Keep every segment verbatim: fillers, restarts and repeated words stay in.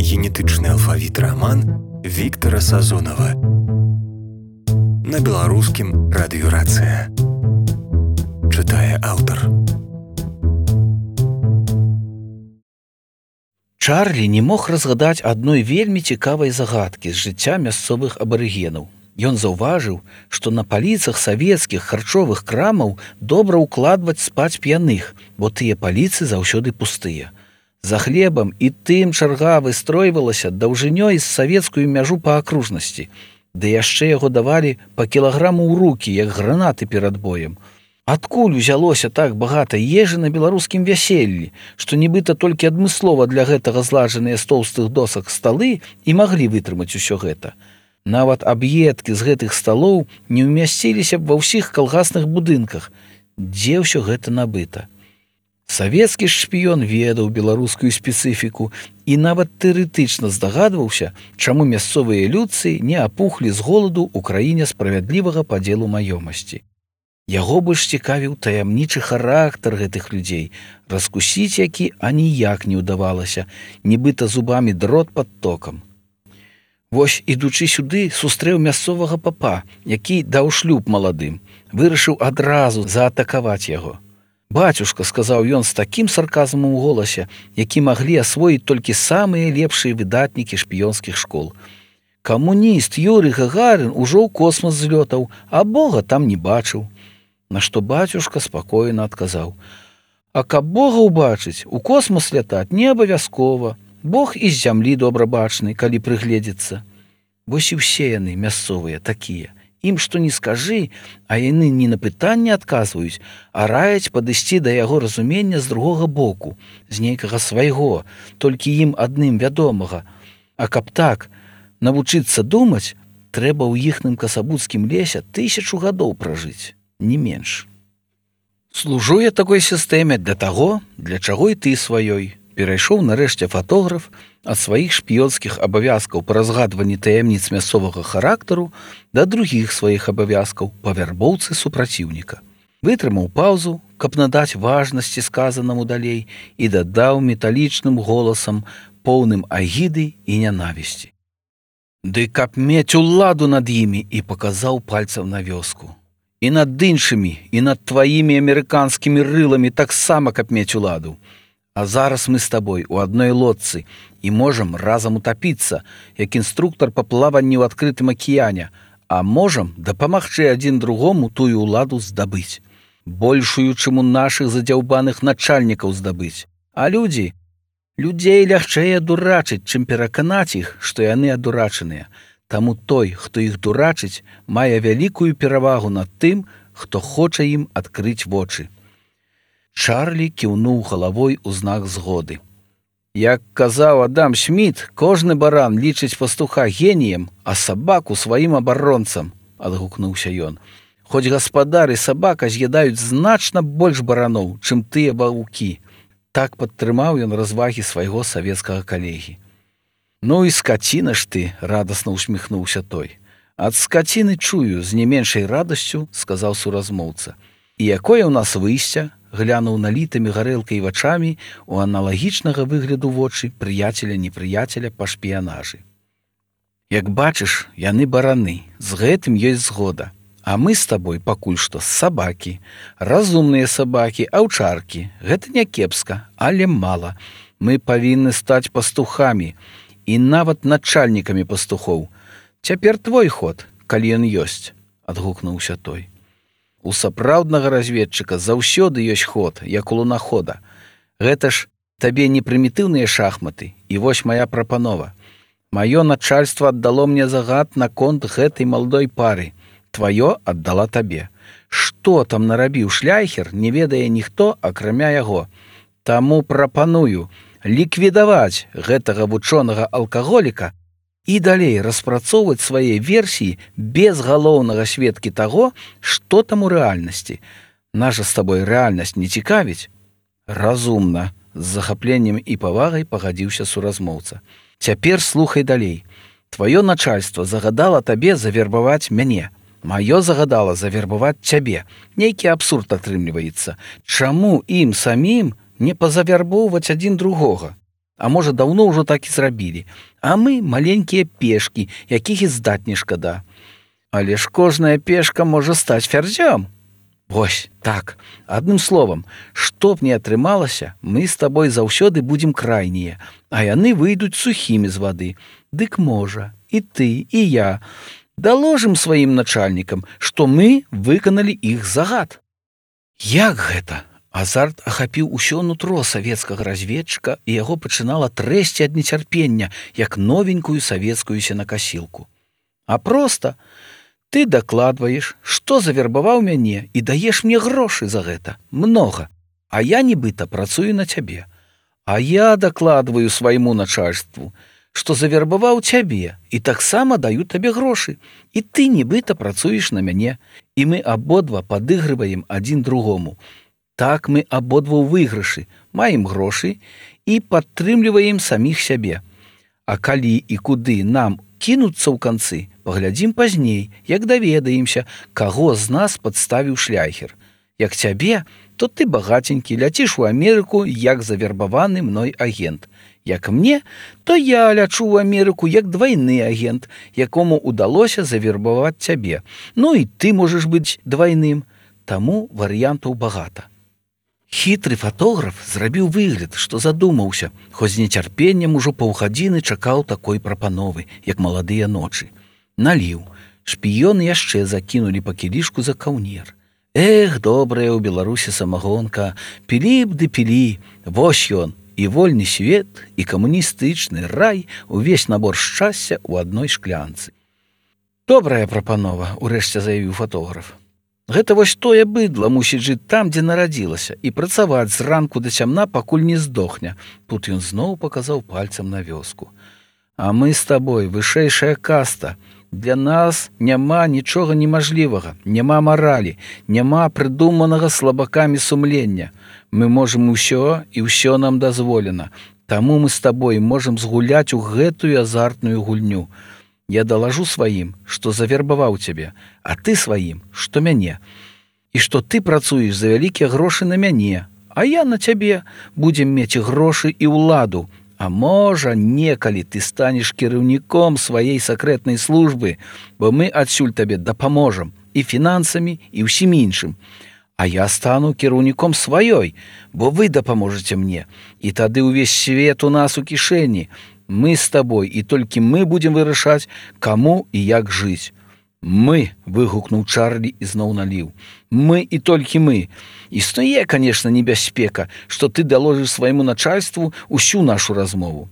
генетычны алфавіт раман Віктара Сазонава. На беларускім радыёрацыя. Чытае аўтар. Чарлі не мог разгадаць адной вельмі цікавай загадкі з жыцця мясцовых абарыгенаў. Ён заўважыў, што на паліцах савецкіх харчовых крамаў добра ўкладваць спаць п'яных, бо тыя паліцы заўсёды пустыя. За хлебам і тым чарга выстройвалася даўжынёй з савецкую мяжу па акружнасці, ды яшчэ яго давалі па кілаграму ў рукі, як гранаты перад боем. Адкуль узялося так багата ежы на беларускім вяселлі, што нібыта толькі адмыслова для гэтага зладжаныя з тоўстых досак сталы і маглі вытрымаць усё гэта. Нават аб'едкі з гэтых сталоў не ўмясціліся б ва ўсіх калгасных будынках. Дзе ўсё гэта набыта? Савецкі ж шпіён ведаў беларускую спецыфіку і нават тэарэтычна здагадваўся, чаму мясцовыя людцы не апухлі з голаду ў краіне справядлівага падзелу маёмасці. Яго больш цікавіў таямнічы характар гэтых людзей, раскусіць які аніяк не ўдавалася, нібыта зубамі дрот пад токам. Вось, ідучы сюды, сустрэў мясцовага папа, які даў шлюб маладым, вырашыў адразу заатакаваць яго. «Бацюшка», — сказаў ён з такім сарказмам у голасе, які маглі асвоіць толькі самыя лепшыя выдатнікі шпіёнскіх школ. «Камуніст Юрый Гагарин ужо ў космас злётаў, а Бога там не бачыў». На што бацюшка спакойна адказаў: «А каб Бога ўбачыць, у космас лятаць не абавязкова. Бог і з зямлі добра бачны, калі прыгледзецца». Вось і ўсе яны мясцовыя такія. Ім што не скажы, а яны не на пытанне адказваюць, а раяць падысці да яго разумення з другога боку, з нейкага свайго, толькі ім адным вядомага. А каб так навучыцца думаць, трэба ў іхным касабуцкім лесе тысячу гадоў пражыць, не менш. Служу я такой сістэме для таго, для чаго і ты сваёй. Перайшоў нарэшце фатограф ад сваіх шпіёнскіх абавязкаў па разгадванні таямніц мясцовага характару да другіх сваіх абавязкаў па вярбоўцы супраціўніка. Вытрымаў паўзу, каб надаць важнасці сказанаму далей, і дадаў металічным голасам, поўным агіды і нянавісці: «Ды каб мець уладу над імі», і паказаў пальцам на вёску. «І над іншымі, і над тваімі амерыканскімі рыламі таксама каб мець уладу. А зараз мы з табой у адной лодцы і можам разам утапіцца, як інструктар па плаванні ў адкрытым акіяне, а можам дапамагчы адзін другому тую ўладу здабыць, большую, чым у нашых задзяўбаных начальнікаў здабыць. А людзі, людзей лягчэй адурачыць, чым пераканаць іх, што яны адурачаныя. Таму той, хто іх дурачыць, мае вялікую перавагу над тым, хто хоча ім адкрыць вочы». Чарлі кіўнуў галавой у знак згоды. «Як казаў Адам Сміт, кожны баран лічыць пастуха геніем, а сабаку сваім абаронцам», — адгукнуўся ён. «Хоць гаспадар і сабака з'ядаюць значна больш бараноў, чым тыя ваўкі». Так падтрымаў ён развагі свайго савецкага калегі. «Ну і скаціна ж ты», — радасна усміхнуўся той. «Ад скаціны чую з не меншай радасцю», — сказаў суразмоўца. «І якое ў нас выйсце?» — глянуў налітымі гарэлкай вачамі у аналагічнага выгляду вочы прыяцеля-непрыяцеля па шпіянажы. «Як бачыш, яны бараны, з гэтым ёсць згода. А мы з табой пакуль што сабакі, разумныя сабакі, аўчаркі. Гэта не кепска, але мала. Мы павінны стаць пастухамі і нават начальнікамі пастухоў. Цяпер твой ход, калі ён ёсць», — адгукнуўся той. «У сапраўднага разведчыка заўсёды ёсць ход, як у лунахода. Гэта ж табе не прымітыўныя шахматы, і вось мая прапанова. Маё начальства аддало мне загад наконт гэтай маладой пары. Тваё аддала табе. Што там нарабіў шляйхер, не ведае ніхто, акрамя яго. Таму прапаную ліквідаваць гэтага вучонага алкаголіка і далей распрацоўваць свае версіі без галоўнага сведкі таго, што там у рэальнасці. Наша з табой рэальнасць не цікавіць?» «Разумна», — з захапленнем і павагай пагадзіўся суразмоўца. «Цяпер слухай далей. Тваё начальства загадала табе завербаваць мяне. Маё загадала завербаваць цябе. Нейкі абсурд атрымліваецца. Чаму ім самім не пазавярбоўваць адзін другога? А можа, даўно ўжо так і зрабілі. А мы маленькія пешкі, якіх і здаць не шкада. Але ж кожная пешка можа стаць фярзём. Вось, так, адным словам, што б не атрымалася, мы з табой заўсёды будзем крайнія, а яны выйдуць сухімі з вады. Дык можа, і ты, і я даложым сваім начальнікам, што мы выканалі іх загад. Як гэта? Азарт ахапіў усё нутро савецкага разведчыка, і яго пачынала трэсці ад нецярпення, як новенькую савецкую сенакасілку. А проста ты дакладваеш, што завербаваў мяне і даеш мне грошы за гэта, многа, а я нібыта працую на цябе. А я дакладваю свайму начальству, што завербаваў цябе і таксама даю табе грошы, і ты нібыта працуеш на мяне, і мы абодва падыгрываем адзін другому. Так мы абодва ў выйгрышы, маем грошы і падтрымліваем саміх сябе. А калі і куды нам кінуцца ў канцы, паглядзім пазней, як даведаемся, каго з нас падставіў шляхер. Як цябе, то ты багаценькі, ляціш у Амерыку як завербаваны мной агент. Як мне, то я лячу ў Амерыку як двайны агент, якому удалося завербаваць цябе. Ну і ты можаш быць двайным, таму варыянтаў багата. Хітры фатограф зрабіў выгляд, што задумаўся, хоць з нецярпеннем ужо паўгадзіны чакаў такой прапановы, як маладыя ночы. Наліў. Шпіёны яшчэ закінулі па кілішку за каўнер. Эх, добрая ў Беларусі самагонка, пілі б ды пілі, вось ён, і вольны свет, і камуністычны рай, увесь набор шчасця ў адной шклянцы. Добрая прапанова, урэшце заявіў фатограф. Гэта вось тое быдла мусіць жыць там, дзе нарадзілася, і працаваць з ранку да цямна, пакуль не здохне. Тут ён зноў паказаў пальцам на вёску. А мы з табой вышэйшая каста. Для нас няма нічога немажлівага, няма маралі, няма прыдуманага слабакамі сумлення. Мы можам усё, і ўсё нам дазволена. Таму мы з табой можам згуляць у гэтую азартную гульню. Я далажу сваім, што завербаваў цябе, а ты сваім, што мяне. І што ты працуеш за вялікія грошы на мяне, а я на цябе будзем мець грошы і ўладу. А можа, некалі ты станеш кіраўніком сваей сакрэтнай службы, бо мы адсюль табе дапаможам і фінансамі, і ўсім іншым. А я стану кіраўніком сваёй, бо вы дапаможаце мне, і тады ўвесь свет у нас у кішэні. Мы з табой, і толькі мы будзем вырашаць, каму і як жыць. Мы, выгукнуў Чарлі і зноў наліў. Мы і толькі мы. Існуе, канешне, небяспека, што ты даложыш свайму начальству усю нашу размову.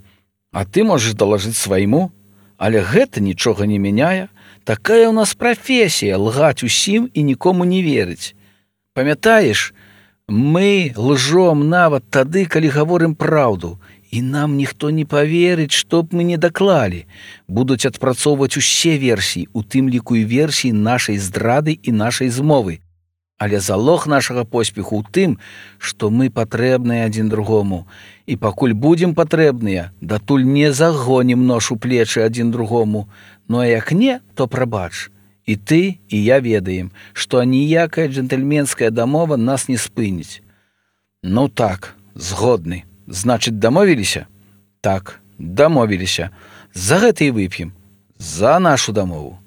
А ты можаш далажыць свайму, але гэта нічога не мяняе. Такая ў нас прафесія лгаць усім і нікому не верыць. Памятаеш, мы лжом нават тады, калі гаворым праўду. І нам ніхто не паверыць, што б мы не даклалі. Будуць адпрацоўваць усе версіі, у тым ліку і версіі нашай здрады і нашай змовы. Але залог нашага поспеху ў тым, што мы патрэбныя адзін другому. І пакуль будзем патрэбныя, датуль не загонім нож у плечы адзін другому. Ну а як не, то прабач. І ты, і я ведаем, што аніякая джентльменская дамова нас не спыніць. Ну так, згодны. Значыць, дамовіліся? Так, дамовіліся. За гэта і вып'ем. За нашу дамову.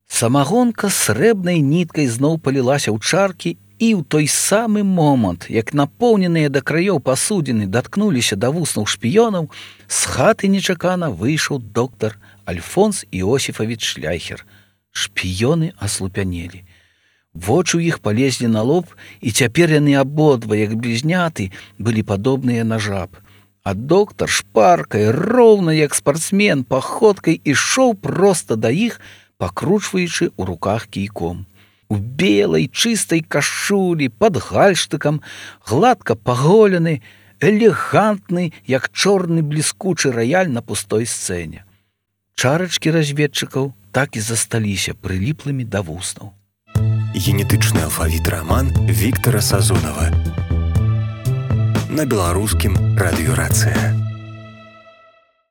Самагонка срэбнай ніткай зноў палілася ў чаркі, і ў той самы момант, як напоўненыя да краёў пасудзіны даткнуліся да вуснаў шпіёнаў, з хаты нечакана выйшаў доктар Альфонс Іосіфавіч Шляхер. Шпіёны аслупянелі. Вочы ў іх палезлі на лоб, і цяпер яны абодва, як блізняты, былі падобныя на жаб. А доктар шпаркай, роўна як спартсмен, паходкай ішоў проста да іх, пакручваючы ў руках кійком. У белай чыстай кашулі, пад гальштыкам, гладка паголены, элегантны, як чорны бліскучы раяль на пустой сцэне. Чарачкі разведчыкаў так і засталіся прыліплымі да вуснаў. Генетычны алфавіт раман Віктара Сазонава. На беларускім радыёрацыя.